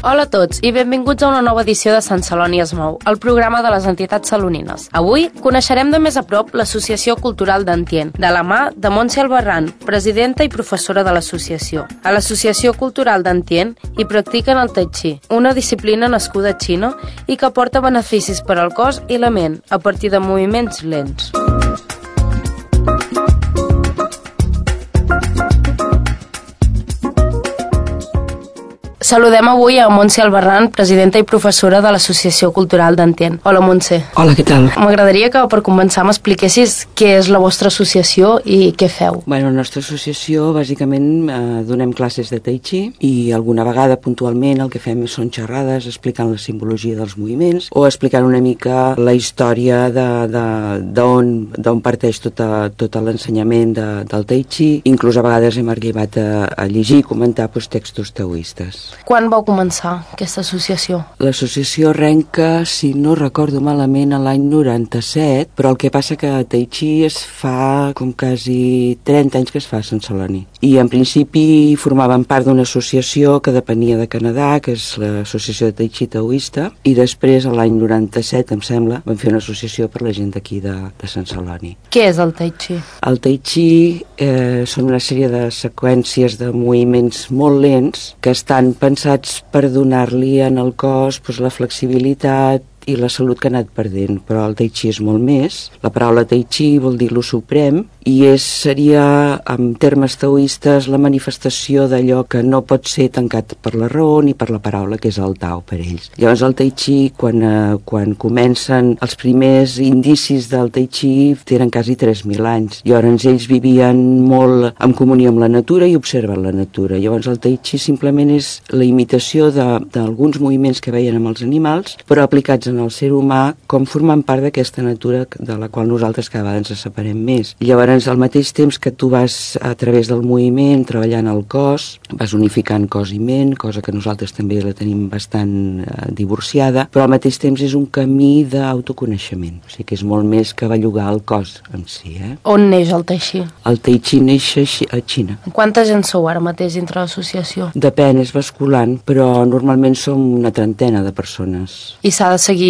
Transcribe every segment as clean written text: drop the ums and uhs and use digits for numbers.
Hola a tots i benvinguts a una nova edició de Sant Celoni es mou, el programa de les entitats salonines. Avui coneixerem de més a prop l'Associació Cultural d'Antien, de la mà de Montse Albarrán, presidenta i professora de l'associació. A l'Associació Cultural d'Antien hi practiquen el Tai Chi, una disciplina nascuda a Xina i que aporta beneficis per al cos i la ment a partir de moviments lents. Saludem avui a Montse Albarrán, presidenta i professora de l'Associació Cultural d'Antien. Hola, Montse. Hola, què tal? M'agradaria que per començar m'expliquessis què és la vostra associació i què feu. Bueno, la nostra associació bàsicament donem classes de Tai Chi i alguna vegada puntualment el que fem són xerrades explicant la simbologia dels moviments o explicant una mica la història d'on parteix tot l'ensenyament del Tai Chi. Inclús a vegades hem arribat a llegir i comentar textos taoistes. Quan vau començar aquesta associació? L'associació arrenca, si no recordo malament, a l'any 97, però el que passa que Tai Chi es fa com quasi 30 anys que es fa a Sant Celoni. I en principi formaven part d'una associació que depenia de Canadà, que és l'Associació de Tai Chi Taoista, i després, a l'any 97, em sembla, vam fer una associació per la gent d'aquí de Sant Celoni. Què és el Tai Chi? El Tai Chi són una sèrie de seqüències de moviments molt lents que estan pensats per donar-li en el cos la flexibilitat i la salut que ha anat perdent, però el Tai Chi és molt més. La paraula Tai Chi vol dir lo suprem i seria, en termes taoistes, la manifestació d'allò que no pot ser tancat per la raó ni per la paraula, que és el Tao per ells. Llavors el Tai Chi, quan comencen els primers indicis del Tai Chi, tenen quasi 3.000 anys. Llavors ells vivien molt en comunió amb la natura i observen la natura. Llavors el Tai Chi simplement és la imitació d'alguns moviments que veien amb els animals, però aplicats en el ser humà com formant part d'aquesta natura de la qual nosaltres cada vegada ens separem més. Llavors, al mateix temps que tu vas a través del moviment treballant el cos, vas unificant cos i ment, cosa que nosaltres també la tenim bastant divorciada, però al mateix temps és un camí d'autoconeixement. O sigui que és molt més que bellugar el cos en si. On neix el Tai Chi? El Tai Chi neix a Xina. Quanta gent sou ara mateix dintre l'associació? Depèn, és basculant, però normalment som una trentena de persones. I s'ha de seguir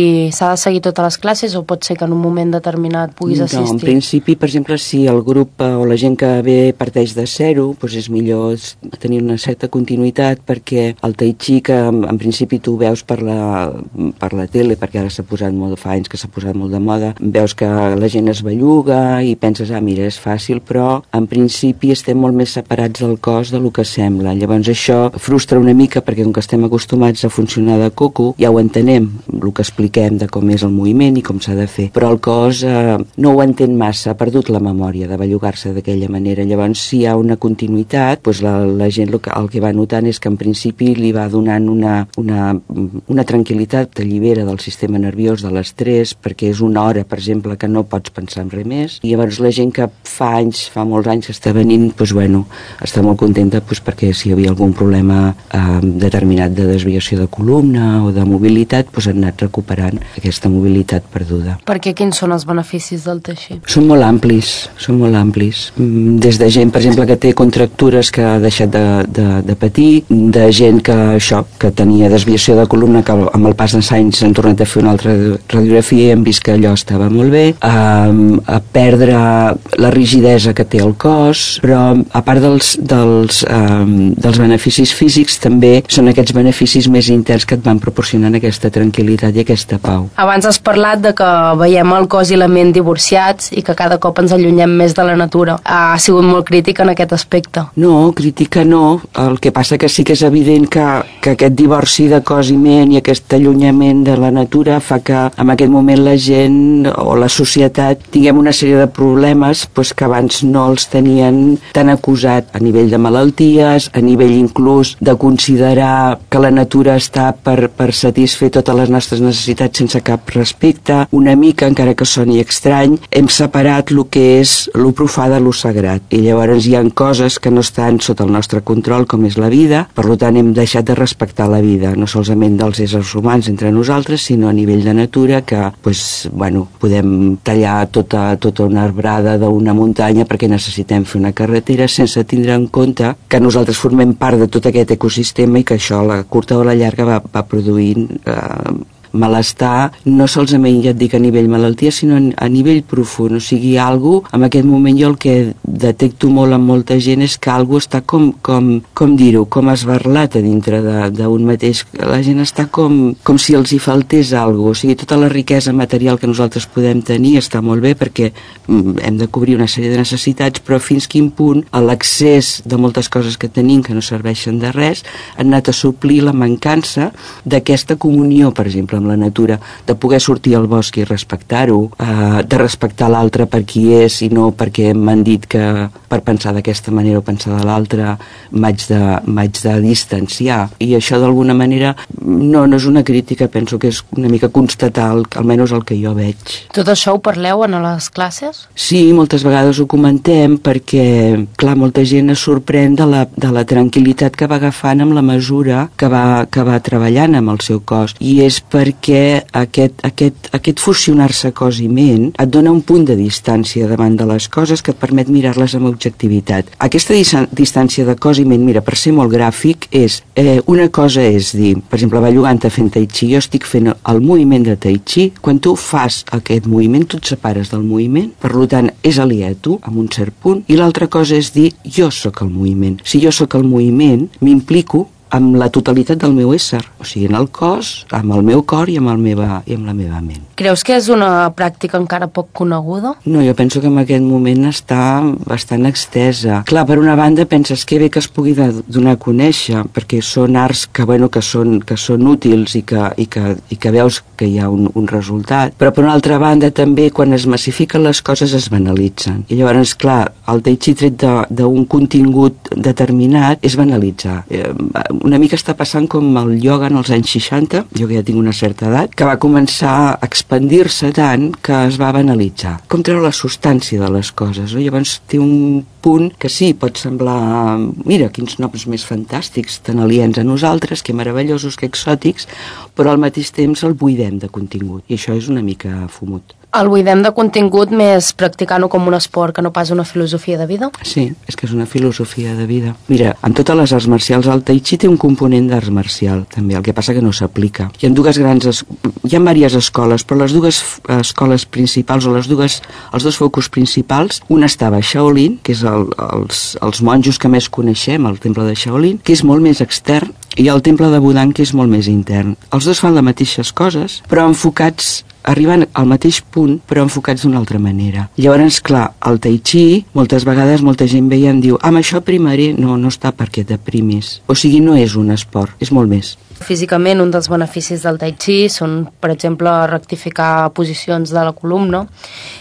totes les classes o pot ser que en un moment determinat puguis assistir? No, en principi, per exemple, si el grup o la gent que ve parteix de zero, doncs és millor tenir una certa continuïtat, perquè el Tai Chi, que en principi tu veus per la tele, perquè ara fa anys que s'ha posat molt de moda, veus que la gent es belluga i penses, mira, és fàcil, però en principi estem molt més separats del cos del que sembla. Llavors això frustra una mica, perquè com que estem acostumats a funcionar de coco, ja ho entenem, el que expliquem de com és el moviment i com s'ha de fer, però el cos no ho entén massa, ha perdut la memòria de bellugar-se d'aquella manera. Llavors, si hi ha una continuïtat, doncs la gent el que va notant és que en principi li va donant una tranquil·litat, t'allibera del sistema nerviós, de l'estrès, perquè és una hora, per exemple, que no pots pensar en res més, i llavors la gent que fa molts anys que està venint, està molt contenta perquè si hi havia algun problema determinat de desviació de columna o de mobilitat, han anat recuperant aquesta mobilitat perduda. Perquè quins són els beneficis del Tai Chi? Són molt amplis. Des de gent, per exemple, que té contractures que ha deixat de patir, de gent que tenia desviació de columna, que amb el pas dels anys han tornat a fer una altra radiografia i hem vist que allò estava molt bé, a perdre la rigidesa que té el cos, però a part dels beneficis físics també són aquests beneficis més interns que et van proporcionant aquesta tranquil·litat i aquesta pau. Abans has parlat de que veiem el cos i la ment divorciats i que cada cop ens allunyem més de la natura. Ha sigut molt crítica en aquest aspecte? No, crítica no. El que passa que sí que és evident que aquest divorci de cos i ment i aquest allunyament de la natura fa que en aquest moment la gent o la societat tinguem una sèrie de problemes que abans no els tenien tan acusat a nivell de malalties, a nivell inclús de considerar que la natura està per satisfer totes les nostres necessitats necessitats sense cap respecte. Una mica, encara que soni estrany, hem separat el que és lo profà de lo sagrat. I llavors hi ha coses que no estan sota el nostre control, com és la vida, per tant hem deixat de respectar la vida, no solament dels éssers humans entre nosaltres, sinó a nivell de natura, que podem tallar tota una arbrada d'una muntanya perquè necessitem fer una carretera sense tindre en compte que nosaltres formem part de tot aquest ecosistema i que això a la curta o a la llarga va produint malestar, no solament ja et dic a nivell malaltia, sinó a nivell profund. O sigui, en aquest moment jo el que detecto molt en molta gent és que algú està com dir-ho, com esbarlat a dintre d'un mateix. La gent està com si els hi faltés alguna cosa. O sigui, tota la riquesa material que nosaltres podem tenir està molt bé perquè hem de cobrir una sèrie de necessitats, però fins quin punt l'accés de moltes coses que tenim que no serveixen de res han anat a suplir la mancança d'aquesta comunió, per exemple, amb la natura, de poder sortir al bosc i respectar-ho, de respectar l'altre per qui és i no perquè m'han dit que per pensar d'aquesta manera o pensar de l'altra m'haig de distanciar. I això d'alguna manera no és una crítica, penso que és una mica constatar almenys el que jo veig. Tot això ho parleu en les classes? Sí, moltes vegades ho comentem perquè, clar, molta gent es sorprèn de la tranquil·litat que va agafant amb la mesura que va treballant amb el seu cos. I és perquè aquest fusionar-se cos i ment et dona un punt de distància davant de les coses que et permet mirar-les amb objectivitat. Aquesta distància de cos i ment, mira, per ser molt gràfic, és una cosa és dir, per exemple, bellugant-te fent tai chi, jo estic fent el moviment de tai chi, quan tu fas aquest moviment tu et separes del moviment, per tant és aliè a tu, en un cert punt, i l'altra cosa és dir, jo sóc el moviment. Si jo sóc el moviment, m'implico amb la totalitat del meu ésser, o sigui, en el cos, amb el meu cor i amb la meva ment. Creus que és una pràctica encara poc coneguda? No, jo penso que en aquest moment està bastant extesa. Clar, per una banda penses que bé que es pugui donar a conèixer, perquè són arts que són útils i que veus que hi ha un resultat, però per una altra banda també quan es massifiquen les coses es banalitzen. I llavors, clar, el tai chi tret d'un contingut determinat és banalitzar. Una mica està passant com el ioga en els anys 60, jo que ja tinc una certa edat, que va començar a expandir-se tant que es va banalitzar. Com treure la substància de les coses, no? Llavors té un punt que sí, pot semblar, mira, quins noms més fantàstics, tan aliens a nosaltres, que meravellosos, que exòtics, però al mateix temps el buidem de contingut, i això és una mica fumut. El buidem de contingut més practicant-ho com un esport que no pas una filosofia de vida? Sí, és que és una filosofia de vida. Mira, en totes les arts marcials el tai chi té un component d'art marcial, també, el que passa que no s'aplica. Hi ha diverses escoles, però les dues escoles principals o els dos focus principals, una estava a Shaolin, que és els monjos que més coneixem, el temple de Shaolin, que és molt més extern, i el temple de Budang, que és molt més intern. Els dos fan les mateixes coses, però enfocats arriben al mateix punt, però enfocats d'una altra manera. Llavors, clar, el tai chi, moltes vegades molta gent veia i em diu, amb això primaré, no està perquè deprimis. O sigui, no és un esport, és molt més. Físicament, un dels beneficis del tai chi són, per exemple, rectificar posicions de la columna.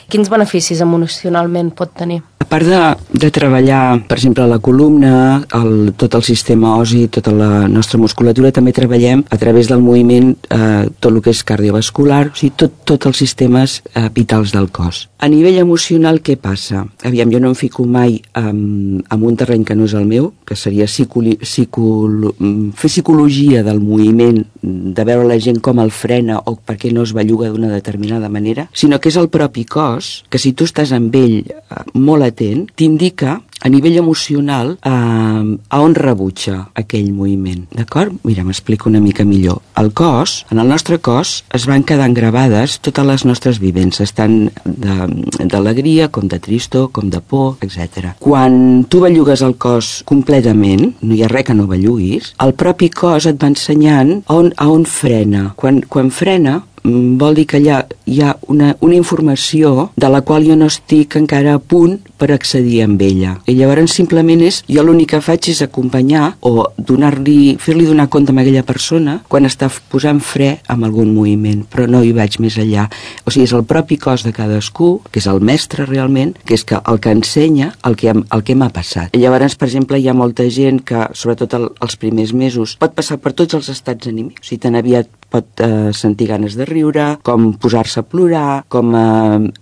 Quins beneficis emocionalment pot tenir? A part de treballar, per exemple, la columna, tot el sistema osi, tota la nostra musculatura, també treballem a través del moviment tot el que és cardiovascular, o sigui, tots els sistemes vitals del cos. A nivell emocional, què passa? Aviam, jo no em fico mai en un terreny que no és el meu, que seria fer psicologia del moviment, de veure la gent com el frena o per què no es belluga d'una determinada manera, sinó que és el propi cos, que si tu estàs amb ell molt atent, t'indica a nivell emocional a on rebutja aquell moviment, d'acord? Mira, m'explico una mica millor. El cos, en el nostre cos, es van quedant gravades totes les nostres vivències, tant d'alegria, com de tristor, com de por, etc. Quan tu bellugues el cos completament, no hi ha res que no belluguis, el propi cos et va ensenyant a on frena. Quan frena, vol dir que hi ha una informació de la qual jo no estic encara a punt per accedir amb ella. I llavors simplement jo l'únic que faig és acompanyar o fer-li donar compte a aquella persona quan està posant fre amb algun moviment, però no hi vaig més enllà. O sigui, és el propi cos de cadascú, que és el mestre realment, que és el que ensenya el que m'ha passat. I llavors, per exemple, hi ha molta gent que, sobretot els primers mesos, pot passar per tots els estats anímics, o sigui, tan aviat pot sentir ganes de riure, com posar-se a plorar, com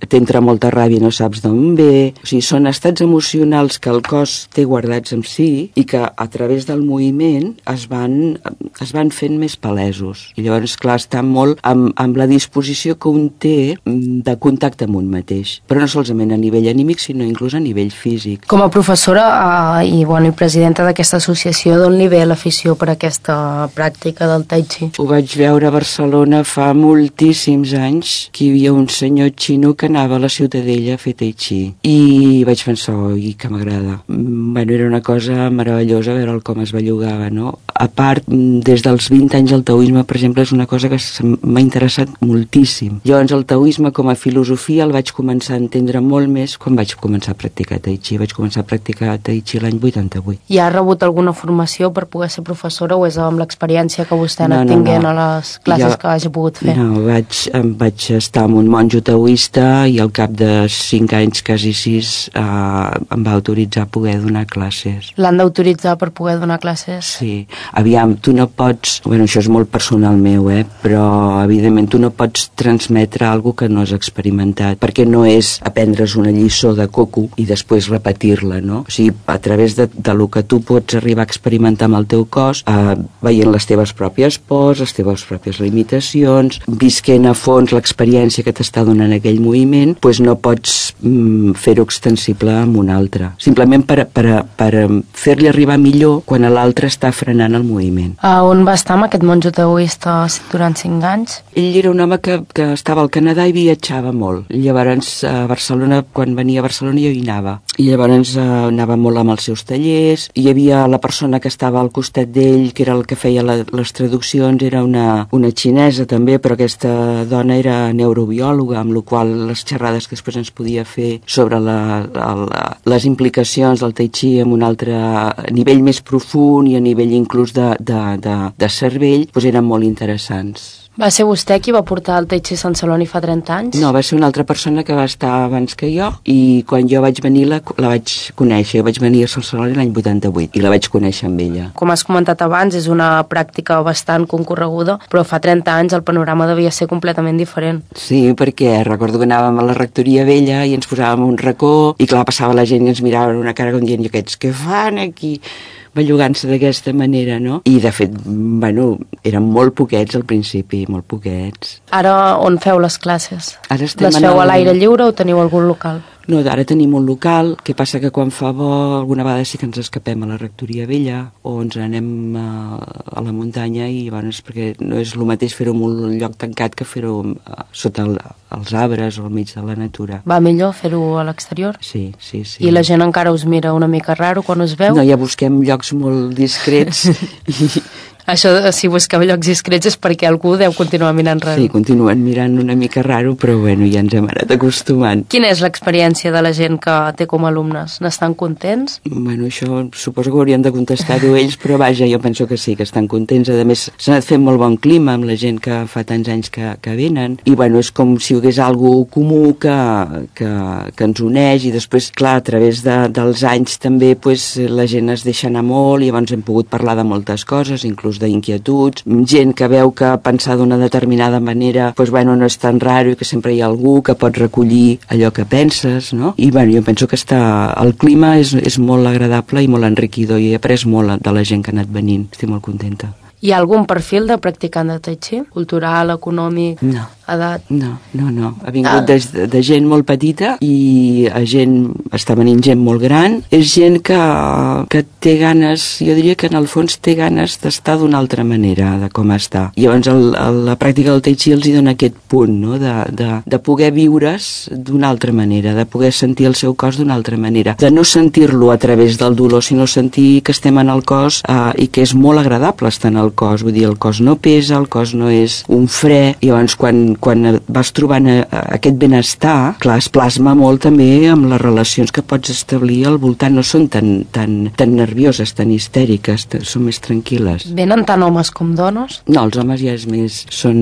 t'entra molta ràbia i no saps d'on ve. O sigui, són estats emocionals que el cos té guardats en si i que a través del moviment es van fent més palesos. I llavors, clar, està molt amb la disposició que un té de contacte amb un mateix. Però no solament a nivell anímic, sinó inclús a nivell físic. Com a professora i presidenta d'aquesta associació, d'on li ve l'afició per aquesta pràctica del tai chi? Ho vaig veure a Barcelona fa moltíssims anys, que hi havia un senyor xino que anava a la Ciutadella a fer tai chi. I vaig pensar, oi, que m'agrada. Bueno, era una cosa meravellosa veure com es bellugava, no? A part, des dels 20 anys el taoisme, per exemple, és una cosa que m'ha interessat moltíssim. Llavors el taoisme com a filosofia el vaig començar a entendre molt més quan vaig començar a practicar tai chi. Vaig començar a practicar tai chi l'any 88. I ha rebut alguna formació per poder ser professora o és amb l'experiència que vostè ha anat tinguent a les classes que hagi pogut fer? No, vaig estar amb un monjo taoista i al cap de 5 anys, quasi 6, em va autoritzar a poder donar classes. L'han d'autoritzar per poder donar classes? Sí. Aviam, tu no pots... Bueno, això és molt personal meu, però evidentment tu no pots transmetre alguna que no has experimentat, perquè no és aprendre's una lliçó de coco i després repetir-la, no? O sigui, a través de lo que tu pots arribar a experimentar amb el teu cos, veient les teves pròpies pors, les teves pròpies limitacions, visquent a fons l'experiència que t'està donant aquell moviment, doncs no pots fer-ho extensible amb un altre. Simplement per fer-li arribar millor quan l'altre està frenant el moviment. On va estar amb aquest monjo taoista durant 5 anys? Ell era un home que estava al Canadà i viatjava molt. Llavors a Barcelona, quan venia a Barcelona jo hi anava. I llavors anava molt amb els seus tallers. Hi havia la persona que estava al costat d'ell, que era el que feia les traduccions, era una xinesa també, però aquesta dona era neurobiòloga, amb la qual les xerrades que després ens podia fer sobre les implicacions del tai chi en un altre nivell més profund i a nivell inclús de cervell, doncs eren molt interessants. Va ser vostè qui va portar el Tai Chi a Sant Celoni fa 30 anys? No, va ser una altra persona que va estar abans que jo i quan jo vaig venir la vaig conèixer. Jo vaig venir a Sant Celoni l'any 88 i la vaig conèixer amb ella. Com has comentat abans, és una pràctica bastant concorreguda, però fa 30 anys el panorama devia ser completament diferent. Sí, perquè recordo que anàvem a la rectoria vella i ens posàvem un racó i clar, passava la gent i ens mirava amb una cara com dient, aquests què fan aquí? Bellugant-se d'aquesta manera, no? I de fet, bueno, eren molt poquets al principi, molt poquets. Ara on feu les classes? Ara les feu a l'aire lliure o teniu algun local? No, ara tenim un local, que passa que quan fa bo alguna vegada sí que ens escapem a la rectoria vella o ens anem a la muntanya i llavors perquè no és el mateix fer-ho en un lloc tancat que fer-ho sota els arbres o al mig de la natura. Va millor fer-ho a l'exterior? Sí. I la gent encara us mira una mica raro quan us veu? No, ja busquem llocs molt discrets Això, si busqueu llocs discrets és perquè algú deu continuar mirant raro. Sí, continuen mirant una mica raro, però bueno, ja ens hem anat acostumant. Quina és l'experiència de la gent que té com a alumnes? N'estan contents? Bueno, això suposo que haurien de contestar-ho ells, però vaja, jo penso que sí, que estan contents. A més, s'ha anat fent molt bon clima amb la gent que fa tants anys que venen, i bueno, és com si hi hagués algú comú que ens uneix, i després, clar, a través dels anys també pues, la gent es deixa anar molt, i llavors hem pogut parlar de moltes coses, inclús d'inquietuds, gent que veu que pensar d'una determinada manera pues, bueno, no és tan raro i que sempre hi ha algú que pot recollir allò que penses, no? I bueno, jo penso que el clima és molt agradable i molt enriquidor i he après molt de la gent que ha anat venint. Estic molt contenta. Hi ha algun perfil de practicant de Tai Chi? Cultural, econòmic, edat? No. Ha vingut de gent molt petita i està venint gent molt gran. És gent que té ganes, jo diria que en el fons té ganes d'estar d'una altra manera, de com està. I llavors la pràctica del Tai Chi els hi dona aquest punt, no? de poder viure's d'una altra manera, de poder sentir el seu cos d'una altra manera, de no sentir-lo a través del dolor, sinó sentir que estem en el cos i que és molt agradable estar en el cos, vull dir, el cos no pesa, el cos no és un fre, i llavors quan vas trobant aquest benestar, clar, es plasma molt també amb les relacions que pots establir al voltant, no són tan nervioses, tan histèriques, són més tranquil·les. Venen tant homes com dones? No, els homes ja són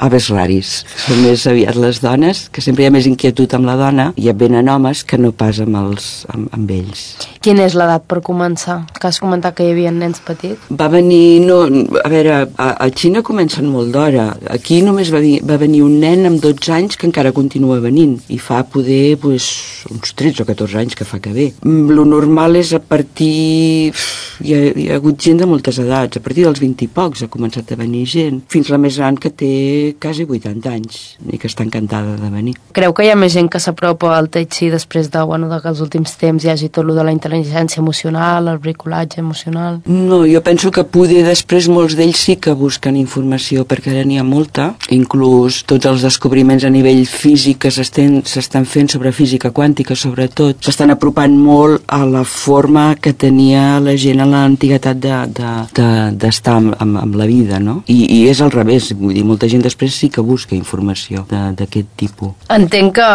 aves raris, són més aviat les dones, que sempre hi ha més inquietud amb la dona, i ja venen homes que no pas amb ells. Quina és l'edat per començar? Que has comentat que hi havia nens petits. Va venir, a veure, a Xina comencen molt d'hora. Aquí només va venir un nen amb 12 anys que encara continua venint i fa poder uns 13 o 14 anys que fa que ve. Lo normal és a partir... Hi ha hagut gent de moltes edats, a partir dels 20 i pocs ha començat a venir gent, fins la més gran que té quasi 80 anys i que està encantada de venir. Creu que hi ha més gent que s'apropa al Tai Chi després de que els últims temps hi hagi tot lo de la intel·ligència emocional, el bricolatge emocional? No, jo penso que poder després molts d'ells sí que busquen informació, perquè ara n'hi ha molta, inclús tots els descobriments a nivell físic que s'estan fent sobre física quàntica, sobretot, s'estan apropant molt a la forma que tenia la gent a l'antiguitat d'estar amb la vida, no? I és al revés, vull dir, molta gent després sí que busca informació d'aquest tipus. Entenc que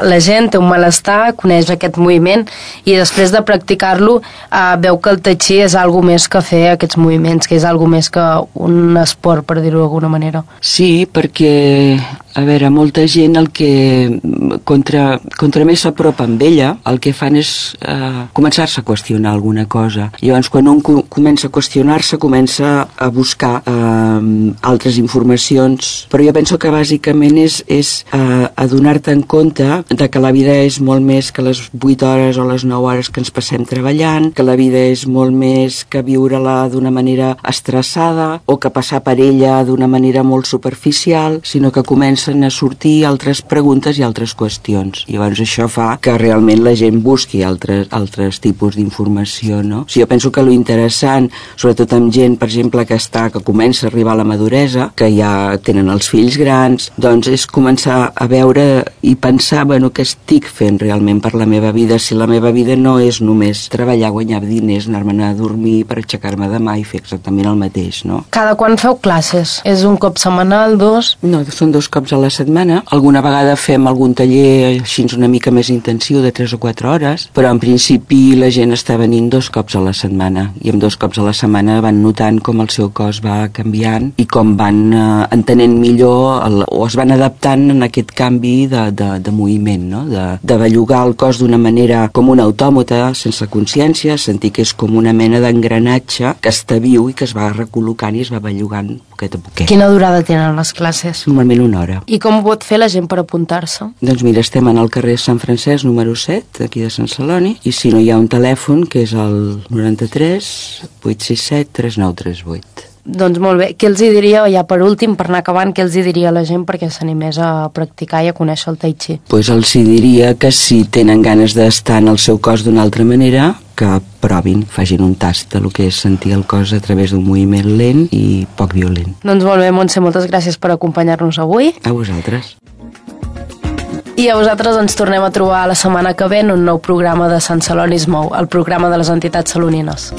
la gent té un malestar, coneix aquest moviment i després de practicar-lo veu que el Tai Chi és algo més que fer aquests moviments, que és algo més que un esport, per dir-ho d'alguna manera. Sí, perquè, a veure, molta gent el que contra més s'apropa amb ella, el que fan és començar-se a qüestionar alguna cosa. Llavors, quan un comença a qüestionar-se, comença a buscar altres informacions, però jo penso que bàsicament és adonar-te en compte de que la vida és molt més que les 8 hores o les 9 hores que ens passem treballant, que la vida és molt més que viure-la d'una manera estressada o que passar per ella d'una manera molt superficial, sinó que comencen a sortir altres preguntes i altres qüestions. I llavors això fa que realment la gent busqui altres tipus d'informació, no? Jo penso que lo interessant, sobretot amb gent, per exemple, que comença a arribar a la maduresa, que ja tenen els fills grans, doncs és començar a veure i pensar, què estic fent realment per la meva vida, si la meva vida no és només treballar, guanyar diners, anar-me'n a dormir per aixecar-me demà i fer exactament el mateix, no? Cada quan feu classes? És un cop setmanal, 2? No, són 2 cops a la setmana. Alguna vegada fem algun taller així una mica més intensiu de 3 o 4 hores, però en principi la gent està venint 2 cops a la setmana i amb 2 cops a la setmana van notant com el seu cos va canviant i com van entenent millor o es van adaptant en aquest canvi de moviment, no? De bellugar el cos d'una manera com un autòmata, sense consciència, sentir que és com una mena d'engranatge que està viu i que es va recol·locant i es va bellugant poquet a poquet. Quina durada tenen les classes? Normalment 1 hora. I com ho pot fer la gent per apuntar-se? Doncs mira, estem en el carrer Sant Francesc número 7, aquí de Sant Celoni, i si no hi ha un telèfon que és el 93 867 3938. Doncs molt bé. Què els diria, ja per últim, per anar acabant, què els diria a la gent perquè s'animés a practicar i a conèixer el Tai Chi? Doncs els diria que si tenen ganes d'estar en el seu cos d'una altra manera, que provin, facin un tast de lo que és sentir el cos a través d'un moviment lent i poc violent. Doncs molt bé, Montse, moltes gràcies per acompanyar-nos avui. A vosaltres. I a vosaltres ens tornem a trobar la setmana que ve en un nou programa de Sant Celoni es mou, el programa de les entitats salonines.